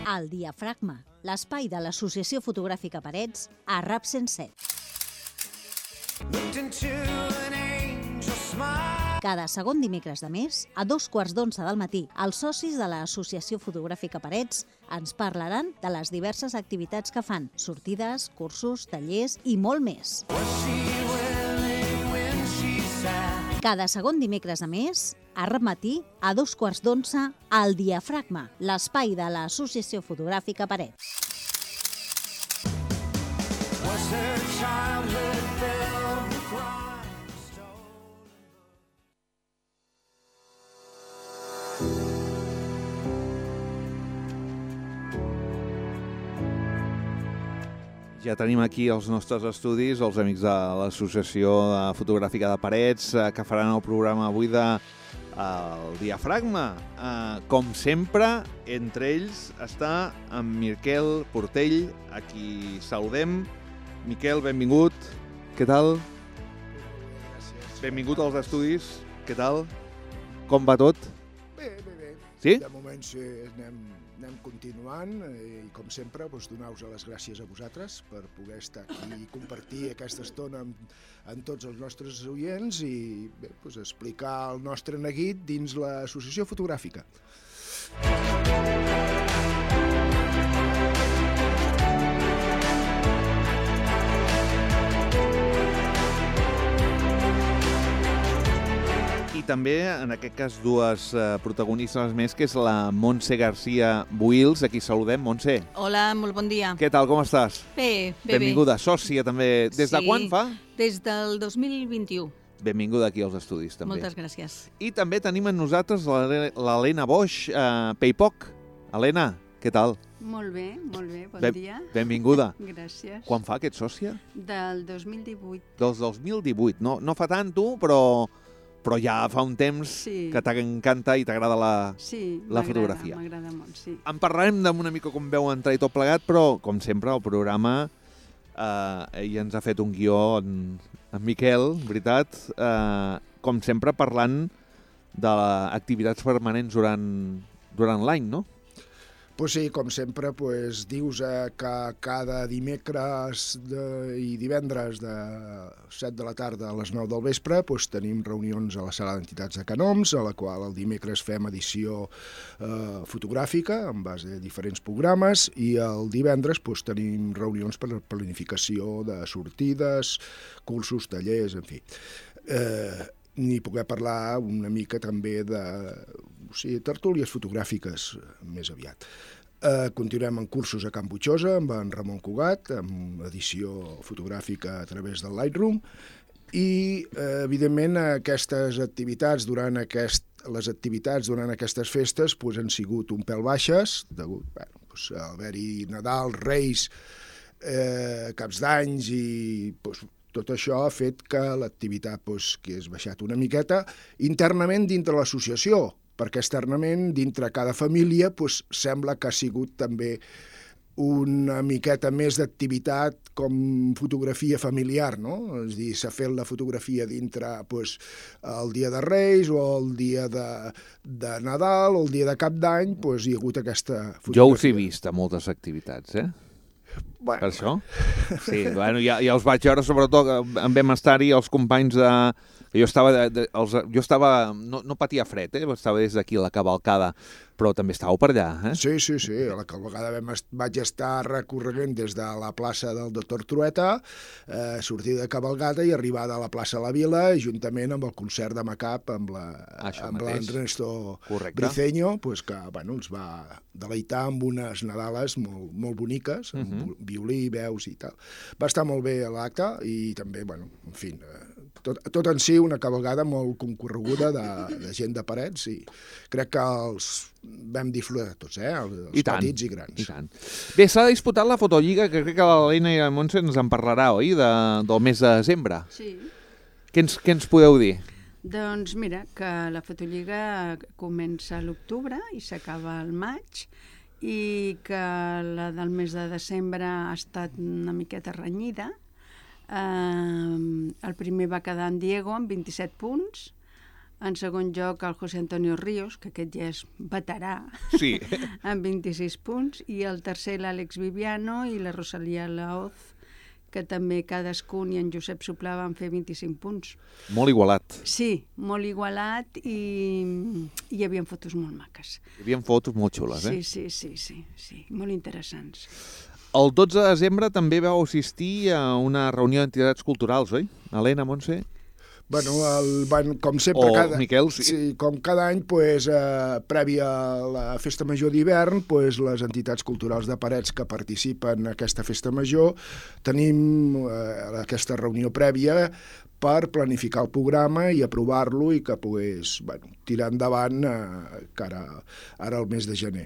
El Diafragma, l'espai de l'Associació Fotogràfica Parets a Rap 107. Cada segon dimecres de mes, a 2:15 del matí, els socis de l'Associació Fotogràfica Parets ens parlaran de les diverses activitats que fan, sortides, cursos, tallers i molt més. Cada segon dimecres de mes, a Rap Matí, a 2:15, el Diafragma, l'espai de l'Associació Fotogràfica Parets. Ja tenim aquí els nostres estudis, els amics de l'Associació Fotogràfica de Parets, que faran el programa avui de el Diafragma. Com sempre, entre ells està en Miquel Portell, a qui saludem. Miquel, benvingut. Què tal? Gràcies. Benvingut als estudis. Què tal? Com va tot? Bé. Sí? De moment sí, anem continuant i com sempre donar-vos les gràcies a vosaltres per poder estar aquí i compartir aquesta estona amb tots els nostres oients i bé, explicar el nostre neguit dins l'Associació Fotogràfica. I també, en aquest cas, dues protagonistes més, que és la Montse García Buils. Aquí saludem, Montse. Hola, molt bon dia. Què tal, com estàs? Bé. Benvinguda, sòcia també. Des de quan fa? Des del 2021. Benvinguda aquí als estudis, també. Moltes gràcies. I també tenim amb nosaltres l'Helena Boix, Paypoc. Helena, què tal? Molt bé, bon dia. Benvinguda. Gràcies. Quan fa que ets sòcia? Del 2018. Del 2018. No fa tant, tu, però ja fa un temps que t'encanta i t'agrada la fotografia. Sí, m'agrada molt, sí. En parlarem d'una mica com veu entrar i tot plegat, però, com sempre, el programa ell ens ha fet un guió en Miquel, veritat, com sempre parlant d'activitats permanents durant l'any, no? Pues sí, com sempre, dius que cada dimecres i divendres de 7 de la tarda a les 9 del vespre tenim reunions a la sala d'entitats de Canoms, a la qual el dimecres fem edició fotogràfica en base a diferents programes i el divendres tenim reunions per a planificació de sortides, cursos, tallers, en fi. Ni poder parlar una mica també de tertúlies fotogràfiques més aviat. Continuem amb cursos a Can Butxosa amb en Ramon Cugat, amb edició fotogràfica a través del Lightroom i, evidentment, aquestes activitats durant aquestes festes han sigut un pèl baixes, degut a haver-hi Nadal, Reis, caps d'anys i tot això ha fet que l'activitat que és baixat una miqueta internament dintre l'associació, perquè externament, dintre cada família, sembla que ha sigut també una miqueta més d'activitat com fotografia familiar, no? És a dir, s'ha fet la fotografia dintre el dia de Reis o el dia de Nadal o el dia de Cap d'Any, hi ha hagut aquesta fotografia. Jo us he vist a moltes activitats, Bueno. Per això? Sí, ja els vaig veure, sobretot en vam estar-hi els companys de... Jo estava no patia fred, estava des d'aquí a la cavalcada, però també estàveu per allà, Sí, a la cavalcada vaig estar recorrent des de la plaça del Doctor Trueta, sortir de cavalgada i arribada a la plaça de la Vila, juntament amb el concert de Macap, amb l'Ernesto Briceño, que els va deleitar amb unes Nadales molt boniques, amb violí, veus i tal. Va estar molt bé l'acte i també, en fi, tot en si una cavalgada molt concorreguda de gent de Parets i crec que els vam disfrutar tots, els petits i grans. I tant. Bé, s'ha disputat la Fotolliga, que crec que l'Helena i la Montse ens en parlarà, oi?, del mes de desembre. Sí. Què ens podeu dir? Doncs mira, que la Fotolliga comença a l'octubre i s'acaba al maig i que la del mes de desembre ha estat una miqueta renyida. El primer va quedar en Diego amb 27 punts, En segon lloc, el José Antonio Ríos, que aquest ja és veterà, Sí. amb 26 punts, i el tercer l'Àlex Viviano i la Rosalía Laoz, que també cadascun, i en Josep Soplà van fer 25 punts. Molt igualat. Sí, molt igualat i hi havia fotos molt maques. Hi havia fotos molt xules, eh? Sí, molt interessants. El 12 de desembre també vau assistir a una reunió d'entitats culturals, oi? Helena, Montse? Bueno, com sempre, Miquel, sí. Sí, com cada any, pues, previ a la Festa Major d'hivern, pues, les entitats culturals de Parets que participen en aquesta Festa Major tenim aquesta reunió prèvia per planificar el programa i aprovar-lo i que pogués tirar endavant ara al mes de gener.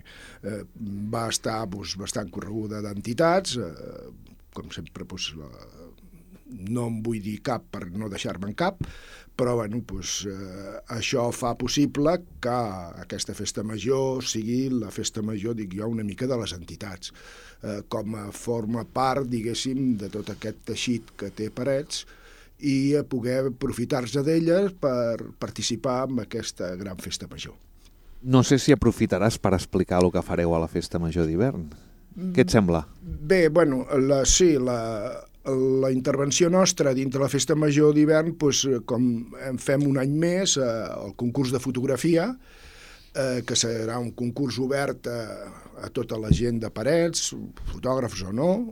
Va estar bastant correguda d'entitats, com sempre, no em vull dir cap per no deixar-me'n cap, però això fa possible que aquesta Festa Major sigui la Festa Major, dic jo, una mica de les entitats, com a forma part, diguéssim, de tot aquest teixit que té Parets i poder aprofitar-se d'elles per participar en aquesta gran Festa Major. No sé si aprofitaràs per explicar el que fareu a la Festa Major d'hivern. Què et sembla? Bé, la intervenció nostra dintre la Festa Major d'hivern, com en fem un any més, el concurs de fotografia, que serà un concurs obert a tota la gent de Parets, fotògrafs o no,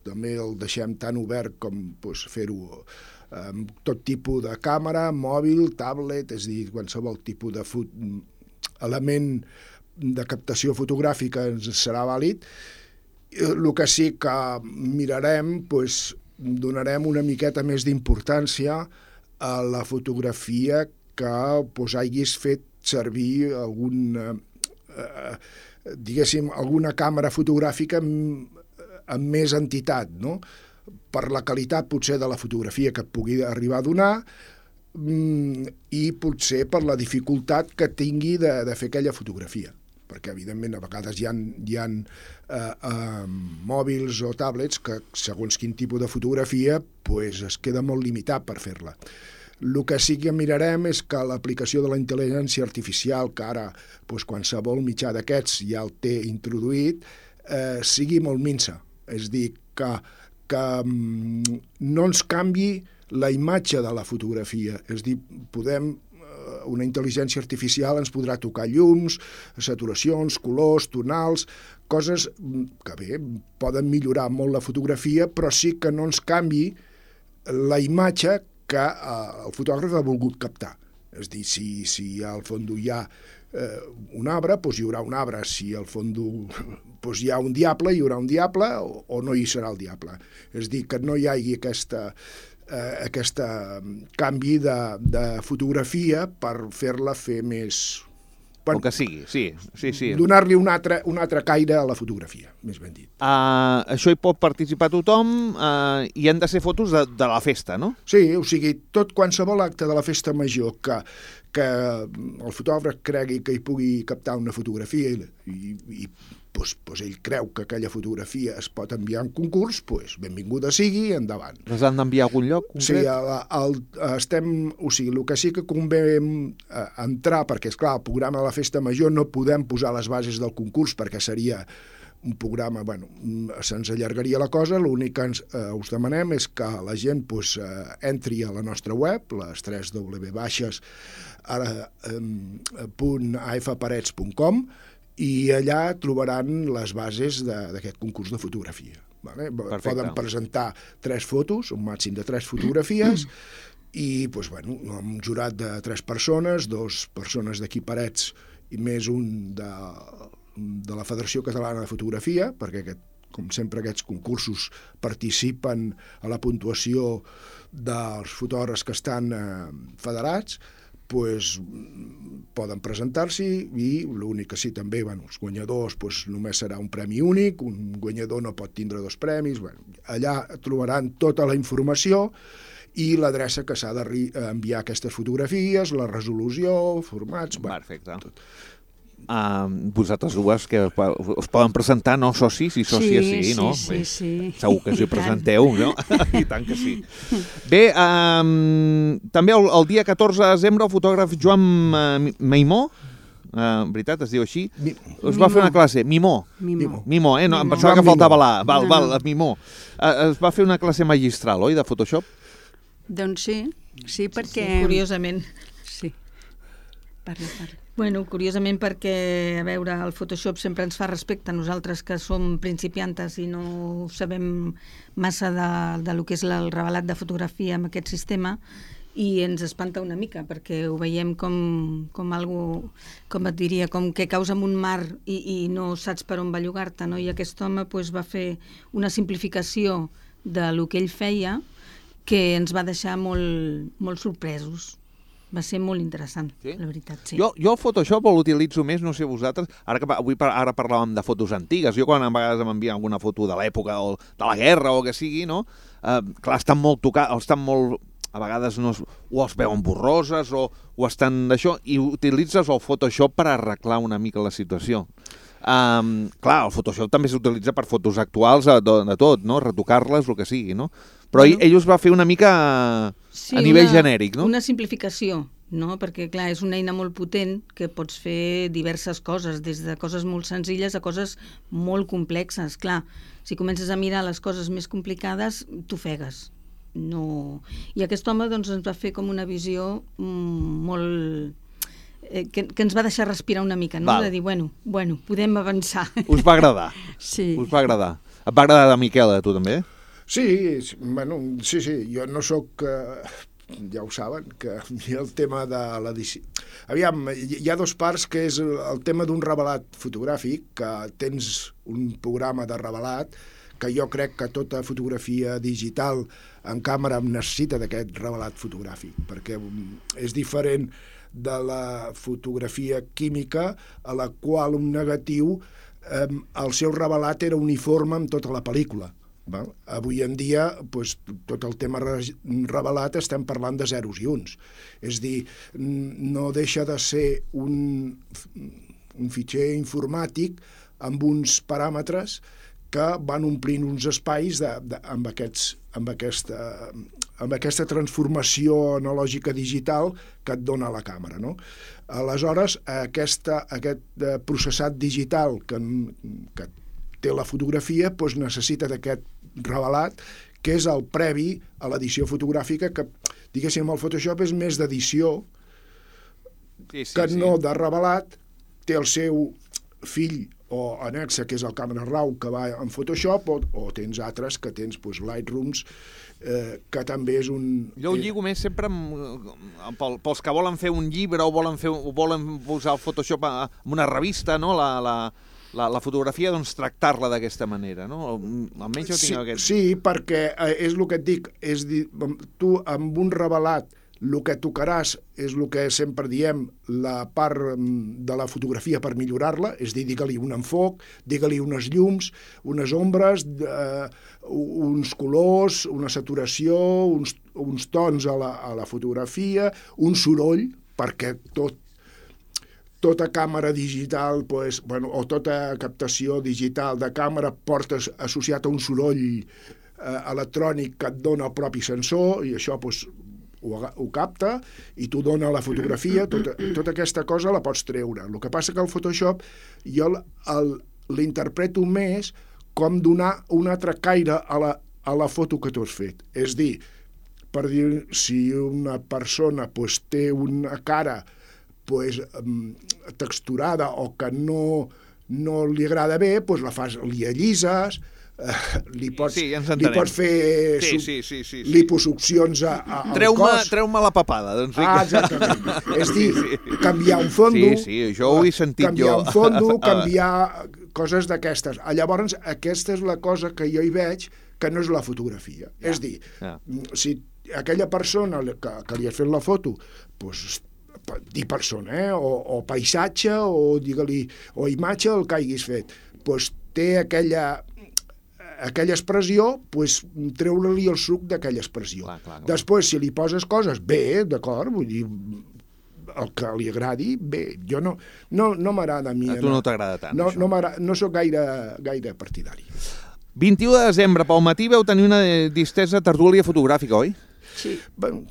també el deixem tan obert com fer-ho amb tot tipus de càmera, mòbil, tablet, és a dir, qualsevol tipus d'element de captació fotogràfica ens serà vàlid. El que sí que mirarem, donarem una miqueta més d'importància a la fotografia que haguis fet servir alguna càmera fotogràfica amb més entitat, no? Per la qualitat potser de la fotografia que et pugui arribar a donar i potser per la dificultat que tingui de fer aquella fotografia. Perquè, evidentment, a vegades hi ha mòbils o tablets que, segons quin tipus de fotografia, es queda molt limitat per fer-la. El que sí que mirarem és que l'aplicació de la intel·ligència artificial, que ara qualsevol mitjà d'aquests ja el té introduït, sigui molt minsa. És a dir, que no ens canvi la imatge de la fotografia. És a dir, una intel·ligència artificial ens podrà tocar llums, saturacions, colors, tonals, coses que bé, poden millorar molt la fotografia, però sí que no ens canvi la imatge que el fotògraf ha volgut captar. És a dir, si al fons hi ha un arbre, hi haurà un arbre. Si al fons hi ha un diable, hi haurà un diable o no hi serà el diable. És a dir, que no hi hagi aquest canvi de fotografia per fer-la fer més... El que sigui, sí. Donar-li un altre caire a la fotografia, més ben dit. Això hi pot participar tothom i han de ser fotos de la festa, no? Sí, o sigui, qualsevol acte de la Festa Major que el fotògraf cregui que hi pugui captar una fotografia i ell creu que aquella fotografia es pot enviar en concurs, benvinguda sigui, endavant. Les han d'enviar a algun lloc concret? Sí, el que sí que convé entrar, perquè, esclar, el programa de la Festa Major no podem posar les bases del concurs perquè seria un programa, se'ns allargaria la cosa. L'únic que us demanem és que la gent entri a la nostra web, les 3 www.afparets.com, i allà trobaran les bases d'aquest concurs de fotografia. Poden presentar 3 fotos, un màxim de 3 fotografies, i un jurat de 3 persones, 2 persones d'aquí Parets i més un de la Federació Catalana de Fotografia, perquè com sempre aquests concursos participen a la puntuació dels fotògrafs que estan federats, poden presentar-s'hi i l'únic que sí també, els guanyadors només serà un premi únic, un guanyador no pot tindre 2 premis, allà trobaran tota la informació i l'adreça que s'ha d'enviar aquestes fotografies, la resolució, formats... Perfecte. vosaltres dues que us poden presentar, no? Socis i sòcies, sí, no? Sí. Segur que us hi presenteu, no? I tant que sí. Bé, també el dia 14 de desembre el fotògraf Joan Maimó, veritat, es diu així, us va fer una classe, Mimó, no, em pensava que faltava l'A, Mimó. Es va fer una classe magistral, oi, de Photoshop? Doncs sí, perquè... Sí, curiosament. Sí, parla. Bueno, curiosament perquè, a veure, el Photoshop sempre ens fa respecte a nosaltres que som principiantes i no sabem massa de lo que és el revelat de fotografia amb aquest sistema, i ens espanta una mica perquè ho veiem com algo, com et diria, com que caus en un mar i no saps per on bellugar-te, no? I aquest home va fer una simplificació de lo que ell feia que ens va deixar molt sorpresos. Va ser molt interessant, sí? La veritat, sí. Jo el Photoshop l'utilitzo més, no sé vosaltres, ara parlàvem de fotos antigues, jo quan a vegades m'envien alguna foto de l'època o de la guerra o que sigui, no? Clar, estan molt tocats, estan molt... A vegades o els veuen borroses o estan d'això, i utilitzes el Photoshop per arreglar una mica la situació. Clar, el Photoshop també s'utilitza per fotos actuals de tot, no? Retocar-les, el que sigui, no? Però ell us va fer una mica a nivell genèric, no? Una simplificació, no? Perquè, clar, és una eina molt potent que pots fer diverses coses, des de coses molt senzilles a coses molt complexes. Clar, si comences a mirar les coses més complicades, t'ofegues. No. I aquest home doncs, ens va fer com una visió molt... que ens va deixar respirar una mica, no? De dir, bueno, podem avançar. Us va agradar? Sí. Us va agradar? Et va agradar de Miquel, a tu també? Sí, jo no sóc... ja ho saben, que el tema de l'edició... Aviam, hi ha dos parts, que és el tema d'un revelat fotogràfic, que tens un programa de revelat, que jo crec que tota fotografia digital en càmera necessita d'aquest revelat fotogràfic, perquè és diferent de la fotografia química, a la qual un negatiu, el seu revelat era uniforme amb tota la pel·lícula. Avui en dia, tot el tema revelat estem parlant de zeros i uns. És dir, no deixa de ser un fitxer informàtic amb uns paràmetres que van omplint uns espais amb aquesta transformació analògica digital que et dona la càmera, no? Aleshores, aquest processat digital que té la fotografia necessita d'aquest revelat, que és el previ a l'edició fotogràfica, que, diguéssim, el Photoshop és més d'edició que no de revelat. Té el seu fill o anexa, que és el Camera Raw, que va en Photoshop, o tens altres que tens Lightrooms, que també és un... Jo ho lligo més sempre pels que volen fer un llibre o volen posar el Photoshop en una revista, no? La fotografia, doncs, tractar-la d'aquesta manera, no? Almenys jo tinc aquest... Sí, perquè és el que et dic, és dir, tu amb un revelat el que tocaràs és el que sempre diem, la part de la fotografia per millorar-la, és dir, digue-li un enfoc, digue-li unes llums, unes ombres, uns colors, una saturació, uns tons a la fotografia, un soroll, perquè tota càmera digital, o tota captació digital de càmera porta associat a un soroll electrònic que et dona el propi sensor, i això ho capta i t'ho dona la fotografia. Tota aquesta cosa la pots treure. El que passa que el Photoshop jo l'interpreto més com donar un altre caire a la foto que tu has fet. És dir, per dir, si una persona té una cara texturada o que no li agrada bé, li allises, li pots fer liposuccions al cos. Treu-me la papada. Doncs. Exactament. És dir, canviar un fondo, això ho he sentit canviar un fondo, canviar coses d'aquestes. Llavors, aquesta és la cosa que jo hi veig que no és la fotografia. És dir, si aquella persona que li has fet la foto, dir persona, o paisatge, o digue-li, o imatge, el que hagis fet, té aquella expressió, treure-li el suc d'aquella expressió. Clar. Després, si li poses coses, bé, d'acord, vull dir, el que li agradi, bé, jo no m'agrada a mi. A tu no t'agrada tant, això. No sóc gaire partidari. 21 de desembre, pel matí, vau tenir una distesa tertúlia fotogràfica, oi? Sí. Bueno.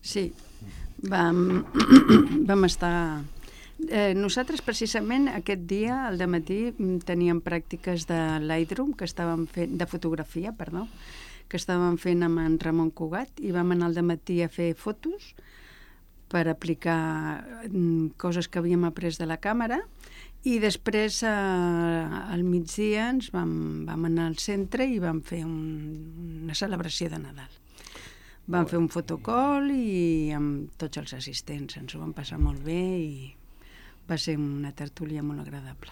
Sí. Vam estar... nosaltres, precisament, aquest dia, al dematí, teníem pràctiques de Lightroom, de fotografia, perdó, que estàvem fent amb en Ramon Cugat, i vam anar al dematí a fer fotos per aplicar coses que havíem après de la càmera, i després al migdia ens vam anar al centre i vam fer una celebració de Nadal. Vam fer un fotocall i amb tots els assistents ens ho vam passar molt bé i va ser una tertúlia molt agradable.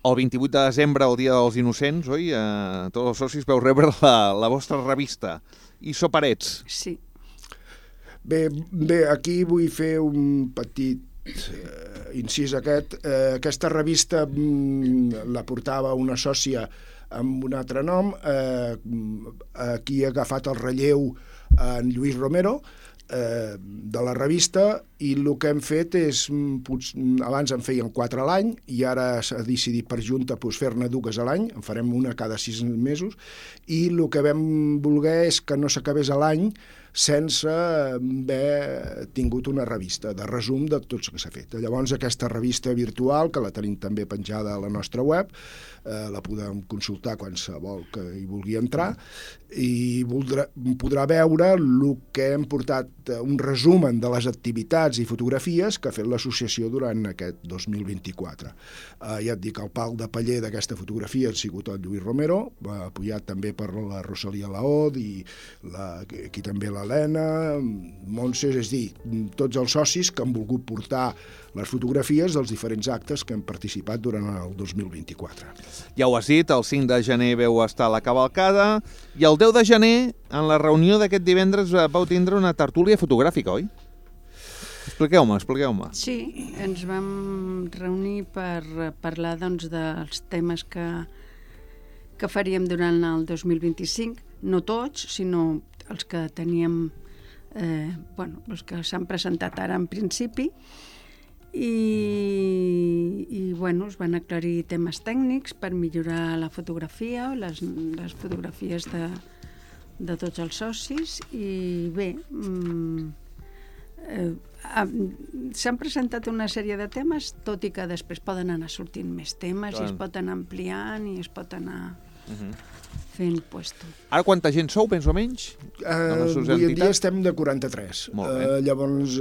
El 28 de desembre, el Dia dels Innocents, oi? Tots els socis vau rebre la vostra revista. Iso Parets. Sí. Bé, aquí vull fer un petit incís aquesta revista la portava una sòcia amb un altre nom, aquí ha agafat el relleu en Lluís Romero de la revista, i el que hem fet és, abans en feien 4 a l'any i ara s'ha decidit per junta fer-ne 2 a l'any, en farem una cada 6 mesos, i el que vam voler és que no s'acabés a l'any sense haver tingut una revista de resum de tot el que s'ha fet. Llavors aquesta revista virtual, que la tenim també penjada a la nostra web, la podem consultar qualsevol que hi vulgui entrar, i podrà veure el que hem portat, un resumen de les activitats i fotografies que ha fet l'associació durant aquest 2024. Ja et dic, el pal de paller d'aquesta fotografia ha sigut el Lluís Romero, apoyat també per la Rosalia Laod i aquí també l'Helena, Montse, és dir, tots els socis que han volgut portar les fotografies dels diferents actes que han participat durant el 2024. Ja ho has dit, el 5 de gener vau estar a la cavalcada i el 10 de gener, en la reunió d'aquest divendres, vau tindre una tertúlia fotogràfica, oi? Expliqueu-me. Sí, ens vam reunir per parlar dels temes que faríem durant el 2025, no tots, sinó els que teníem, els que s'han presentat ara en principi, i es van aclarir temes tècnics per millorar la fotografia, les fotografies de tots els socis, i bé, s'han presentat una sèrie de temes, tot i que després poden anar sortint més temes i es pot anar ampliant i es pot anar fent puesto. Ara quanta gent sou, més o menys? Avui en dia estem de 43. Llavors,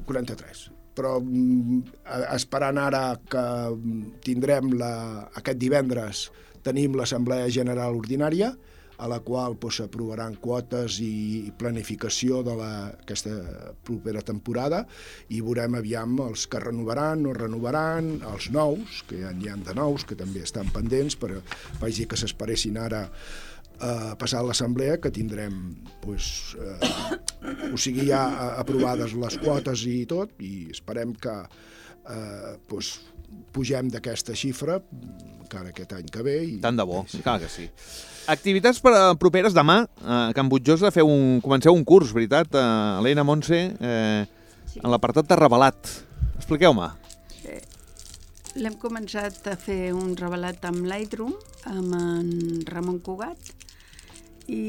43. Però esperant ara que tindrem aquest divendres, tenim l'Assemblea General Ordinària, a la qual s'aprovaran quotes i planificació d'aquesta propera temporada, i veurem aviam els que renovaran, no renovaran, els nous, que n'hi ha de nous, que també estan pendents, però vaig dir que s'esperessin ara a passar a l'assemblea, que tindrem ja aprovades les quotes i tot, i esperem que pugem d'aquesta xifra encara aquest any que ve. Tant de bo, clar que sí. Activitats properes demà, a Can Butjosa comenceu un curs, veritat, Helena, Montse, en l'apartat de revelat. Expliqueu-me. L'hem començat a fer un revelat amb Lightroom, amb en Ramon Cugat, i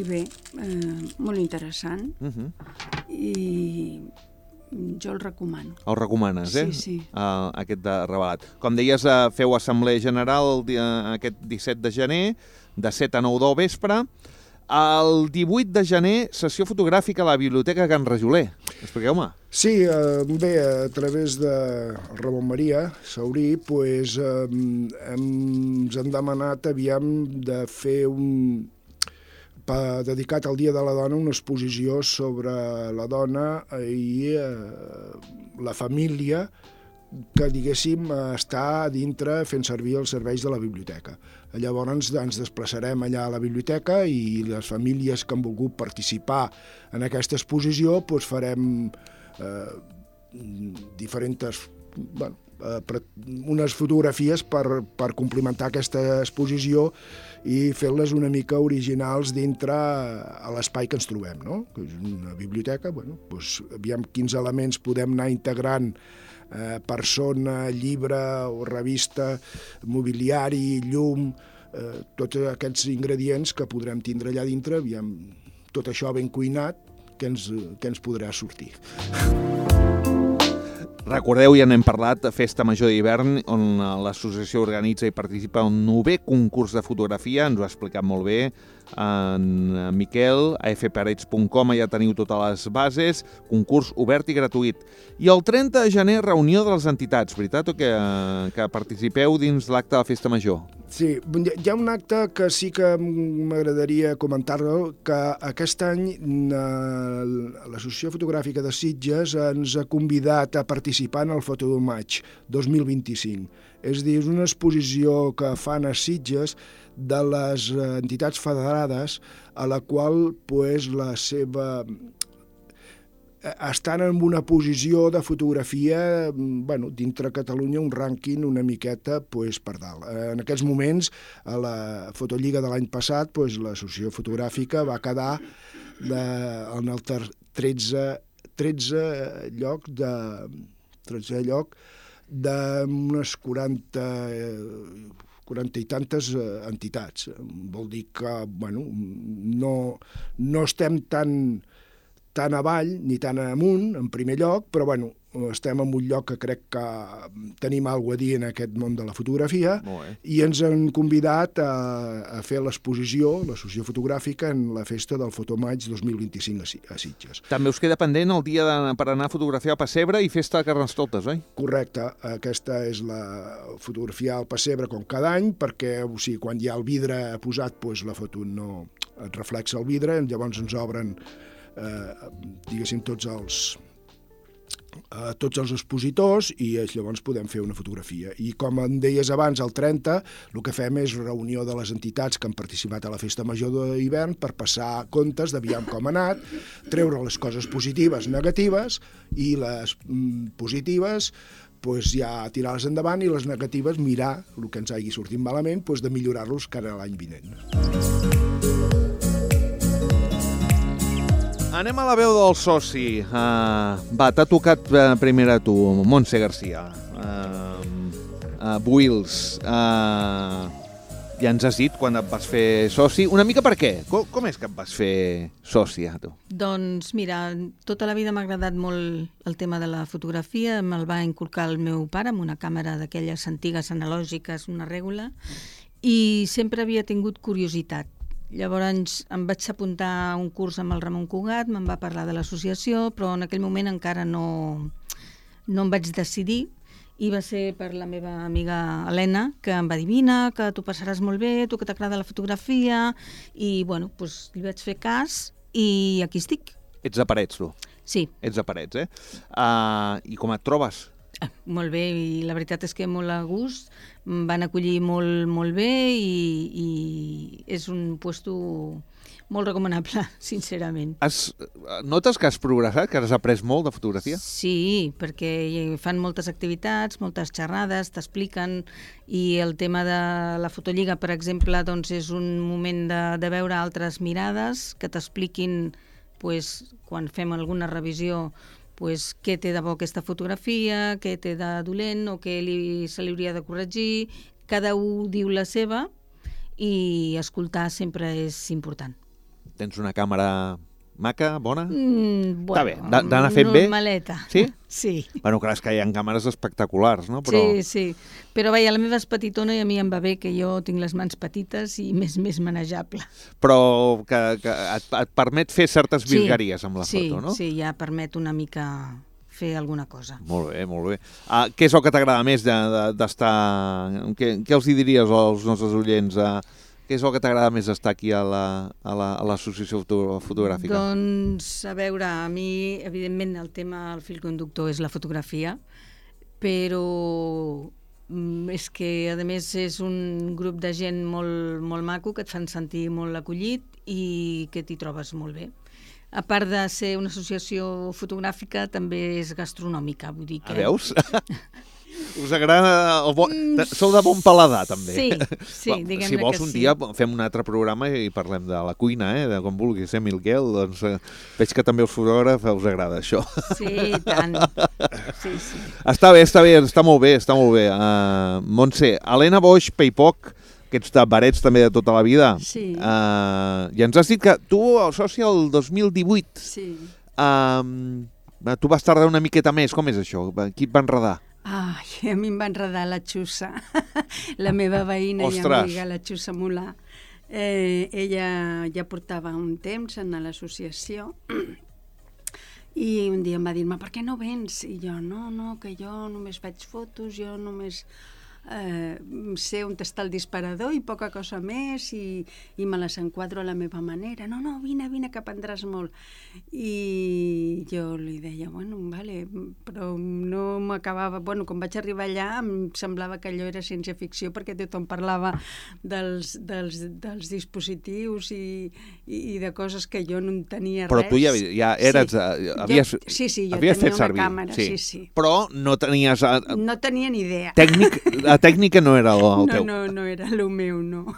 bé, molt interessant, i jo el recomano. El recomanes, Sí. Aquest de revelat. Com deies, feu assemblea general aquest 17 de gener, de 7 a 9 del vespre. El 18 de gener, sessió fotogràfica a la Biblioteca Can Rajoler. Expliqueu-me. Sí, bé, a través de Ramon Maria Saurí, ens han demanat de fer dedicat al Dia de la Dona, una exposició sobre la dona i la família que, diguéssim, està dintre fent servir els serveis de la biblioteca. Llavors ens desplaçarem allà a la biblioteca i les famílies que han volgut participar en aquesta exposició farem diferents unes fotografies per complementar aquesta exposició i fer-les una mica originals dintre a l'espai que ens trobem, no? Que és una biblioteca, doncs, aviam quins elements podem anar integrant, persona, llibre o revista, mobiliari, llum, tots aquests ingredients que podrem tindre allà dintre, aviam tot això ben cuinat, què ens podrà sortir. Recordeu, ja n'hem parlat, Festa Major d'Hivern, on l'associació organitza i participa en un 9è concurs de fotografia, ens ho ha explicat molt bé en Miquel, a fparets.com, ja teniu totes les bases, concurs obert i gratuït. I el 30 de gener, reunió de les entitats, veritat, o que participeu dins l'acte de la Festa Major? Sí, hi ha un acte que sí que m'agradaria comentar-lo, que aquest any l'Associació Fotogràfica de Sitges ens ha convidat a participar en el Fotomaig 2025. És a dir, és una exposició que fan a Sitges de les entitats federades, a la qual estan en una posició de fotografia, dintre Catalunya, un rànquing una miqueta per dalt. En aquests moments, a la Fotolliga de l'any passat, l'associació fotogràfica va quedar en el 13 lloc d'unes 40 i tantes entitats. Vol dir que no estem tan avall ni tan amunt, en primer lloc, però estem en un lloc que crec que tenim alguna cosa a dir en aquest món de la fotografia, i ens han convidat a fer l'exposició, l'associació fotogràfica, en la festa del Fotomaig 2025 a Sitges. També us queda pendent el dia per anar a fotografiar al Pessebre i festa de Carnestoltes, oi? Correcte, aquesta és la fotografia al Pessebre com cada any, perquè quan hi ha el vidre posat, la foto no et reflexa el vidre, llavors ens obren diguéssim tots els expositors i llavors podem fer una fotografia. I com em deies abans, el 30, el que fem és reunió de les entitats que han participat a la Festa Major d'Hivern per passar comptes d'aviam com ha anat, treure les coses positives, negatives, i les positives ja tirar-les endavant, i les negatives mirar el que ens hagi sortit malament, de millorar-los cara a l'any vinent. Anem a la veu del soci. Va, t'ha tocat primer a tu, Montse Garcia. Buils. Ja ens has dit quan et vas fer soci. Una mica per què? Com és que et vas fer soci, tu? Doncs mira, tota la vida m'ha agradat molt el tema de la fotografia. Me'l va inculcar el meu pare amb una càmera d'aquelles antigues analògiques, una règula, i sempre havia tingut curiositat. Llavors em vaig apuntar a un curs amb el Ramon Cugat, me'n va parlar de l'associació, però en aquell moment encara no em vaig decidir, i va ser per la meva amiga Helena, que em va dir: vine, que tu passaràs molt bé, tu que t'agrada la fotografia, i li vaig fer cas i aquí estic. Ets de Parets, tu? Sí. Ets de Parets, I com et trobes? Molt bé, i la veritat és que molt a gust, em van acollir molt, molt bé, i és un puesto molt recomanable, sincerament. Notes que has progressat, que has après molt de fotografia? Sí, perquè fan moltes activitats, moltes xerrades, t'expliquen, i el tema de la Fotolliga, per exemple, és un moment de veure altres mirades que t'expliquin, quan fem alguna revisió, què té de bo aquesta fotografia, què té de dolent o què se li hauria de corregir. Cada un diu la seva, i escoltar sempre és important. Tens una càmera maca, bona? Està bé, d'anar fent bé? Normaleta. Sí? Sí. Bueno, clar, és que hi ha càmeres espectaculars, no? Sí. Però vaja, la meva és petitona i a mi em va bé, que jo tinc les mans petites i més manejable. Però que et permet fer certes virgueries amb la foto, no? Sí, ja permet una mica fer alguna cosa. Molt bé, molt bé. Què és el que t'agrada més d'estar... Què els diries als nostres oients? Què és el que t'agrada més d'estar aquí a l'associació fotogràfica? Doncs, a veure, a mi, evidentment, el fil conductor és la fotografia, però és que, a més, és un grup de gent molt, molt maco, que et fan sentir molt acollit i que t'hi trobes molt bé. a part de ser una associació fotogràfica, també és gastronòmica. Vull dir que... Veus? Us agrada... Sou de bon paladar, també. Sí, diguem-ne que sí. Si vols, un dia fem un altre programa i parlem de la cuina, de com vulguis, Miquel. Doncs veig que també els fotògrafs us agrada això. Sí, tant. Sí. Està bé, està molt bé. Montse, Helena Boix Peipoc, que ets de Parets també de tota la vida. Sí. I ens has dit que tu, el soci, el 2018, sí. Tu vas tardar una miqueta més. Com és això? Qui et va enredar? Ai, a mi em va enredar la Xussa, la meva veïna i amiga, la Xussa Mulà. Ella ja portava un temps en l'associació i un dia em va dir, per què no vens? I jo, no, que jo només faig fotos, jo només sé on està el disparador i poca cosa més i me les enquadro a la meva manera. No, vine, que aprendràs molt. I jo li deia, vale, però no m'acabava... Quan vaig arribar allà em semblava que allò era ciència-ficció perquè tothom parlava dels dispositius i de coses que jo no en tenia res. Però tu ja eres... Sí, jo tenia una càmera, sí. Però no tenies... No tenia ni idea. La tècnica no era el teu. No era el meu, no.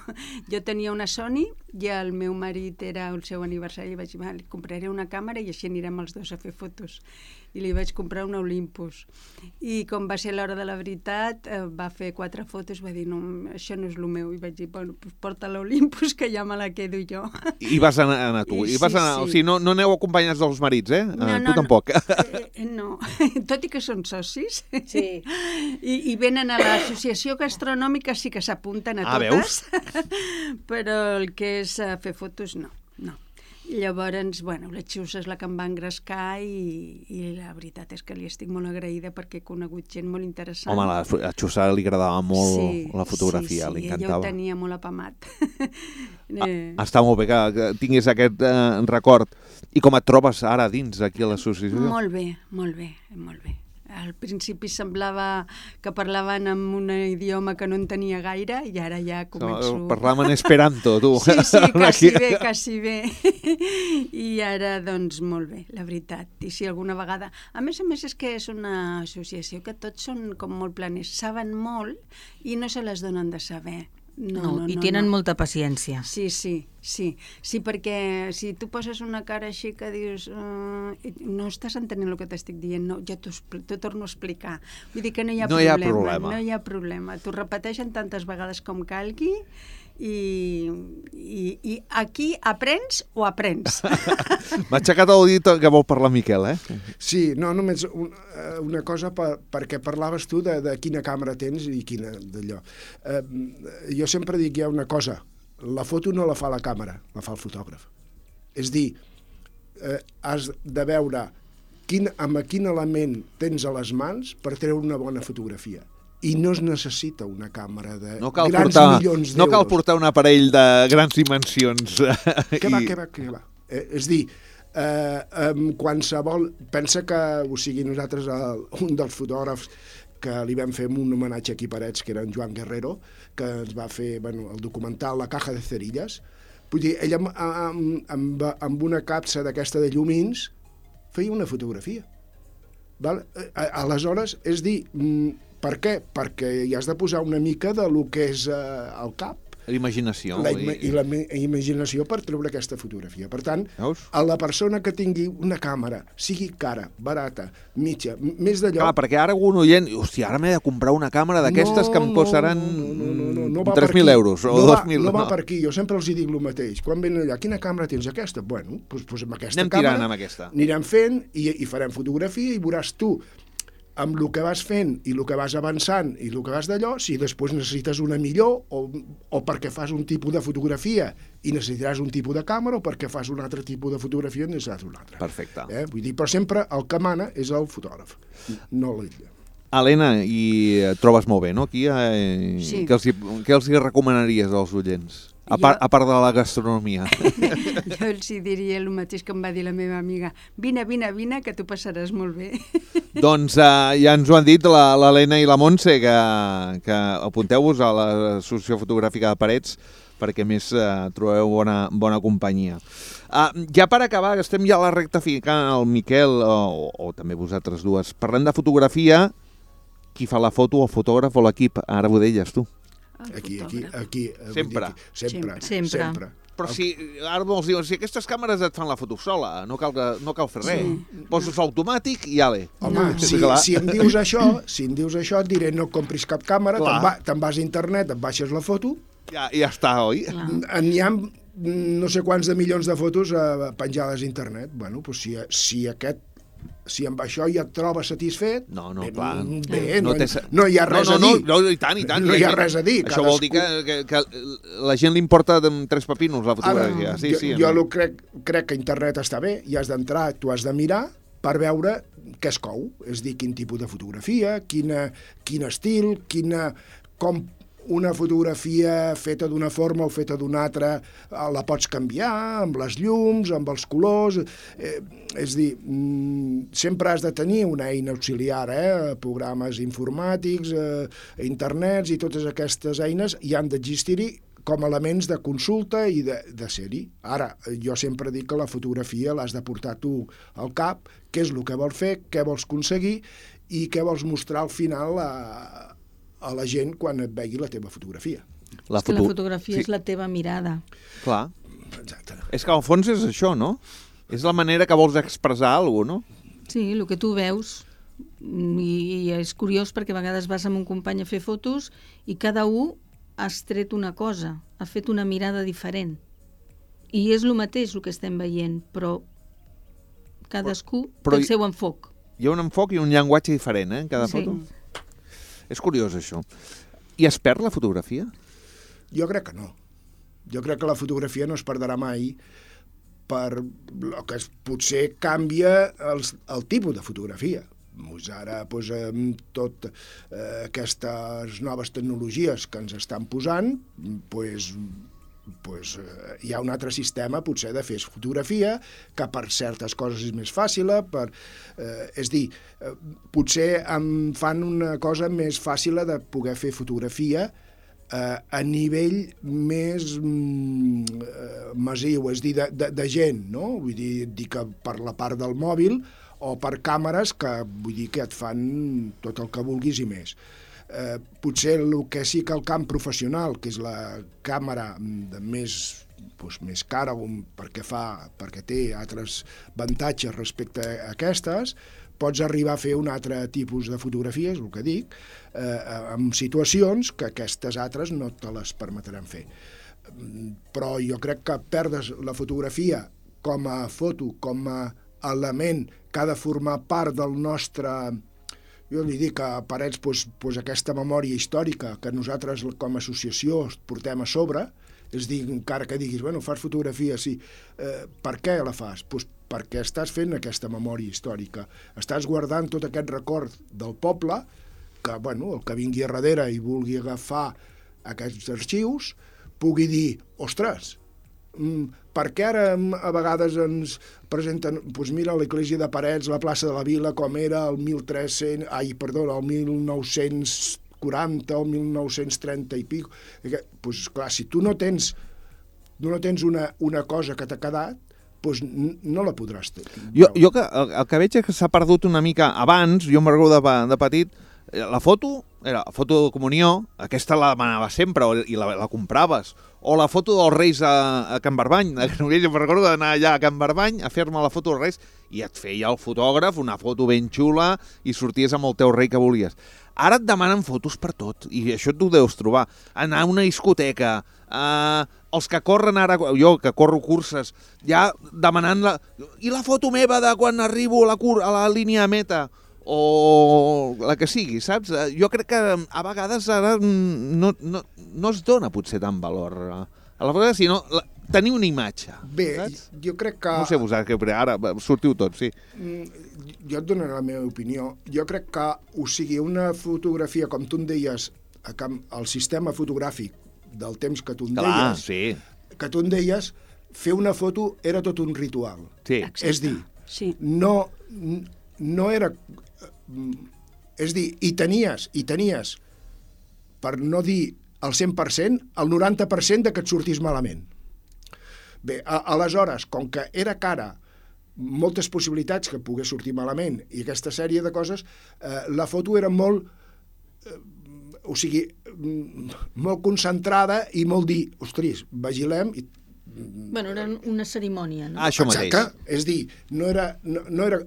Jo tenia una Sony i el meu marit era el seu aniversari i vaig dir, li compraré una càmera i així anirem els dos a fer fotos. I li vaig comprar una Olympus. I com va ser l'hora de la veritat, va fer 4 fotos, va dir, no, això no és el meu. I vaig dir, porta l'Olympus que ja me la quedo jo. I vas anar tu. Sí. O sigui, no aneu acompanyats dels marits, tu tampoc. No, tot i que són socis. Sí. I venen a l'associació gastronòmica, sí que s'apunten a totes. Veus? Però el que és fer fotos, no. Llavors, la Xussa és la que em va engrescar i la veritat és que li estic molt agraïda perquè he conegut gent molt interessant. Home, a Xussa li agradava molt la fotografia, li encantava. Ella ho tenia molt apamat. Està molt bé que tinguis aquest record. I com et trobes ara dins aquí a l'associació? Molt bé. Al principi semblava que parlaven en un idioma que no entenia gaire i ara ja començo... Parlaven en esperanto, tu. Sí, quasi bé. I ara, doncs, molt bé, la veritat. I si alguna vegada... A més és que és una associació que tots són com molt planers, saben molt i no se les donen de saber. No, tenen molta paciència. Sí, perquè si tu poses una cara així que dius no estàs entenent el que t'estic dient, no, jo t'ho torno a explicar. Vull dir que no hi ha problema. T'ho repeteixen tantes vegades com calgui i aquí aprens o aprens. M'ha aixecat el dit que vol parlar Miquel, Sí, no, només una cosa perquè parlaves tu de quina càmera tens i quina d'allò. Jo sempre dic, hi ha una cosa, la foto no la fa la càmera, la fa el fotògraf. És dir, has de veure amb quin element tens a les mans per treure una bona fotografia. I no es necessita una càmera de grans milions d'euros. No cal portar un aparell de grans dimensions. Què va? És dir, qualsevol... Pensa que, nosaltres, un dels fotògrafs que li vam fer un homenatge aquí a Parets, que era en Joan Guerrero, que ens va fer el documental La caja de cerilles. Vull dir, ell amb una capsa d'aquesta de llumins feia una fotografia. Aleshores, és dir... Per què? Perquè hi has de posar una mica de lo que és el cap. L'imaginació. I la imaginació per treure aquesta fotografia. Per tant, a la persona que tingui una càmera, sigui cara, barata, mitja, més d'allò... Clar, perquè ara algun oient... Hòstia, ara m'he de comprar una càmera d'aquestes que em costaran 3.000 euros o 2.000. No va per aquí, jo sempre els dic el mateix. Quan venen allà, quina càmera tens? Aquesta? Bueno, doncs amb aquesta càmera... Anem tirant amb aquesta. Anirem fent i farem fotografia i veuràs tu amb el que vas fent i el que vas avançant i el que vas d'allò, si després necessites una millor o perquè fas un tipus de fotografia i necessitaràs un tipus de càmera o perquè fas un altre tipus de fotografia i necessitaràs un altre. Perfecte. Vull dir, però sempre el que mana és el fotògraf, no l'illa. Helena, i et trobes molt bé, no, aquí? Sí. Què els recomanaries als oients? A part de la gastronomia. Jo els diria el mateix que em va dir la meva amiga. Vine, que tu passaràs molt bé. Doncs ja ens ho han dit l'Helena i la Montse, que apunteu-vos a l'Associació Fotogràfica de Parets, perquè més trobeu bona companyia. Ja per acabar, estem ja a la recta final, el Miquel, o també vosaltres dues, parlem de fotografia, qui fa la foto, el fotògraf o l'equip? Ara ho deies tu. Aquí. Sempre. Sempre. Però si ara molts diuen, si aquestes càmeres et fan la foto sola, no cal fer res. Poses automàtic i ale. Home, si em dius això, et diré no compris cap càmera, te'n vas a internet, et baixes la foto... Ja està, oi? N'hi ha no sé quants de milions de fotos penjades a internet. Bueno, doncs si amb això ja et trobes satisfet... No, clar. Bé, no hi ha res a dir. No, i tant. No hi ha res a dir. Això vol dir que la gent li importa tres pepinos la fotografia. Jo crec que internet està bé, hi has d'entrar, tu has de mirar per veure què es cou. És dir, quin tipus de fotografia, quin estil, com una fotografia feta d'una forma o feta d'una altra la pots canviar amb les llums, amb els colors... És dir, sempre has de tenir una eina auxiliar, programes informàtics, internets i totes aquestes eines hi han d'existir-hi com a elements de consulta i de ser-hi. Ara, jo sempre dic que la fotografia l'has de portar tu al cap, què és el que vols fer, què vols aconseguir i què vols mostrar al final a la gent quan et vegi la teva fotografia. La fotografia és la teva mirada. Clar. Exacte. És que al fons és això, no? És la manera que vols expressar alguna cosa, no? Sí, el que tu veus. I és curiós perquè a vegades vas amb un company a fer fotos i cada un has tret una cosa, ha fet una mirada diferent. I és el mateix el que estem veient, però cadascú té el seu enfoc. Hi ha un enfoc i un llenguatge diferent, en cada foto? És curiós, això. I es perd la fotografia? Jo crec que no. Jo crec que la fotografia no es perdrà mai per el que potser canvia el tipus de fotografia. Ara, amb totes aquestes noves tecnologies que ens estan posant, hi ha un altre sistema potser de fer fotografia que per certes coses és més fàcil, és dir, potser em fan una cosa més fàcil de poder fer fotografia a nivell més massiu, és dir, de gent, no? Vull dir que per la part del mòbil o per càmeres que vull dir que et fan tot el que vulguis i més. Potser el que sí que el camp professional, que és la càmera més cara perquè té altres avantatges respecte a aquestes, pots arribar a fer un altre tipus de fotografia, és el que dic, en situacions que aquestes altres no te les permetran fer. Però jo crec que perdes la fotografia com a foto, com a element que ha de formar part del nostre... Jo li dic a Parets aquesta memòria històrica que nosaltres com a associació portem a sobre, és dir, encara que diguis, fas fotografia, sí, per què la fas? Perquè estàs fent aquesta memòria històrica, estàs guardant tot aquest record del poble, que el que vingui a darrere i vulgui agafar aquests arxius, pugui dir, ostres, per què ara a vegades ens presenten, mira l'església de Parets, la plaça de la Vila, com era el 1940 o el 1930 i pico. Clar, si tu no tens una cosa que t'ha quedat, no la podràs tenir. Jo el que veig és que s'ha perdut una mica abans, jo me'n recordo de petit, la foto era la foto de comunió, aquesta la demanaves sempre i la compraves, o la foto dels Reis a Can Barbany. Jo me'n recordo d'anar allà a Can Barbany a fer-me la foto dels Reis i et feia el fotògraf una foto ben xula i sorties amb el teu rei que volies. Ara et demanen fotos per tot i això tu deus trobar. Anar a una discoteca, els que corren ara, jo que corro curses, ja demanant i la foto meva de quan arribo a la línia de meta, o la que sigui, saps? Jo crec que a vegades ara no es dona potser tant valor a la foto, sinó tenir una imatge. Bé, saps? jo crec que... No sé vosaltres, ara sortiu tots, sí. Jo et donaré la meva opinió. Jo crec que, una fotografia, com tu em deies, el sistema fotogràfic del temps que tu em deies, que tu em deies, fer una foto era tot un ritual. Sí. És dir, no era... És dir, i tenies, per no dir al 100%, el 90% que et sortís malament. Bé, aleshores, com que era cara, moltes possibilitats que pogués sortir malament i aquesta sèrie de coses, la foto era molt... molt concentrada i molt dir, ostres, vigilem... Bueno, era una cerimònia, no? Això mateix. Exacte, és dir, no era...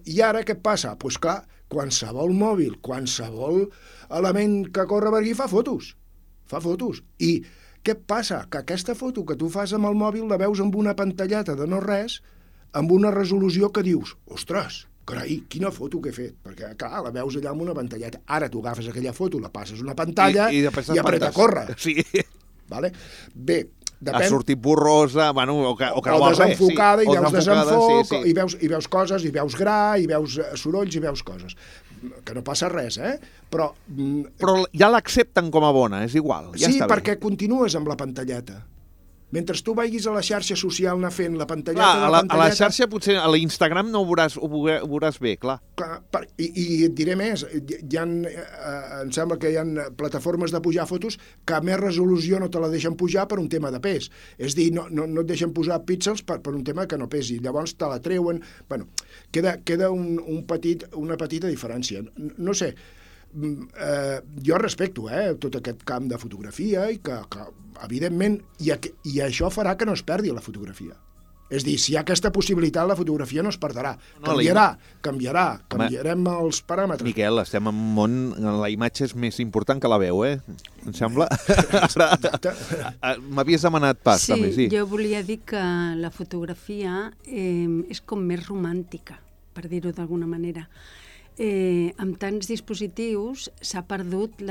I ara què passa? Doncs clar, qualsevol mòbil, qualsevol element que corre per aquí fa fotos. I què passa? Que aquesta foto que tu fas amb el mòbil la veus amb una pantalleta de no res, amb una resolució que dius, ostres, carai, quina foto que he fet, perquè clar, la veus allà amb una pantalleta. Ara tu agafes aquella foto, la passes una pantalla i apreta a córrer. Sí. Vale? Bé, depèn... Ha sortit borrosa, bueno, o que o desenfocada, sí. I veus desenfoc, sí. I veus coses, i veus gra, i veus sorolls, i veus coses. Que no passa res, Però ja l'accepten com a bona, és igual. Ja sí, està bé. perquè continues amb la pantalleta. Mentre tu vagis a la xarxa social anar fent la pantalleta... Clar, a la xarxa potser, a l'Instagram no ho veuràs bé, clar. I et diré més, em sembla que hi ha plataformes de pujar fotos que a més resolució no te la deixen pujar per un tema de pes. És dir, no et deixen posar píxels per un tema que no pesi. Llavors te la treuen... Bueno, queda una petita diferència. No sé, jo respecto tot aquest camp de fotografia i que evidentment, i això farà que no es perdi la fotografia. És dir, si hi ha aquesta possibilitat, la fotografia no es perdrà. Canviarem els paràmetres. Miquel, estem en un món on la imatge és més important que la veu, em sembla? M'havies demanat pas, també, sí. Sí, jo volia dir que la fotografia és com més romàntica, per dir-ho d'alguna manera. Amb tants dispositius s'ha perdut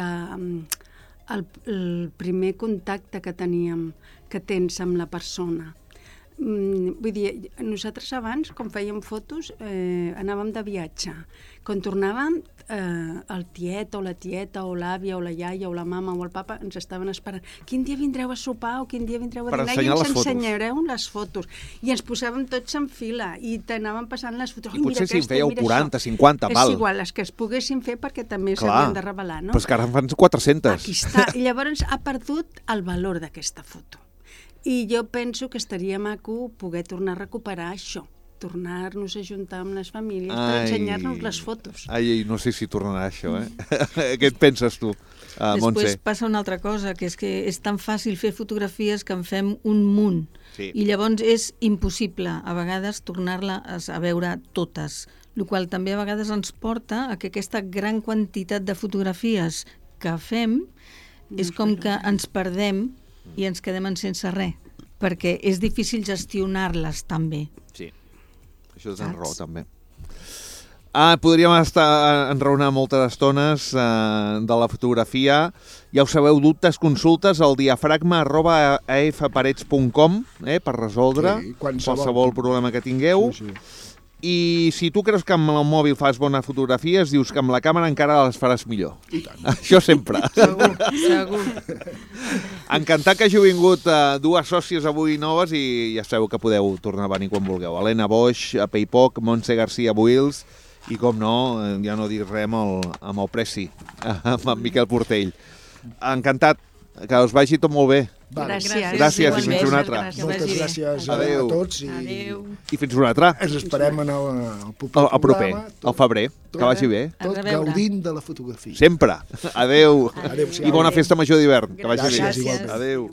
el primer contacte que tens amb la persona. Vull dir, nosaltres abans, quan fèiem fotos, anàvem de viatge. Quan tornàvem, el tiet o la tieta o l'àvia o la iaia o la mama o el papa ens estaven esperant. Quin dia vindreu a sopar o quin dia vindreu a dinar i ens ensenyareu les fotos. I ens posàvem tots en fila i t'anàvem passant les fotos. I potser si en fèieu 40, 50, val. És igual, les que es poguessin fer perquè també s'havien de revelar, no? Però és que ara en fan 400. Aquí està. I llavors ha perdut el valor d'aquesta foto. I jo penso que estaria maco poder tornar a recuperar això, tornar-nos a juntar amb les famílies per ensenyar-nos les fotos. No sé si tornarà això, Què et penses tu, Montse? Després passa una altra cosa, que és tan fàcil fer fotografies que en fem un munt. Sí. I llavors és impossible, a vegades, tornar-les a veure totes, el qual també a vegades ens porta a que aquesta gran quantitat de fotografies que fem és com que ens perdem i ens quedem en sense res, perquè és difícil gestionar-les també. Sí, això tens raó també. Podríem estar enraonar moltes estones de la fotografia. Ja ho sabeu, dubtes, consultes al diafragma@afparets.com per resoldre qualsevol problema que tingueu. Sí. I si tu creus que amb el mòbil fas bones fotografies, dius que amb la càmera encara les faràs millor. I tant. Això sempre. Segur. Encantat que hàgiu vingut dues sòcies avui noves i ja sabeu que podeu tornar a venir quan vulgueu. Helena Boix, a Paypoc, Montse García Buils i, com no, ja no dic res amb el Preci, amb en Miquel Portell. Encantat, que us vagi tot molt bé. Gràcies i fins una altra. Moltes gràcies a tots. I fins una altra. Ens esperem en el proper, al febrer. Que vagi bé. Tot gaudint de la fotografia. Sempre. Adéu. Adéu. I bona festa major d'hivern. Que vagi bé. Gràcies. Adéu.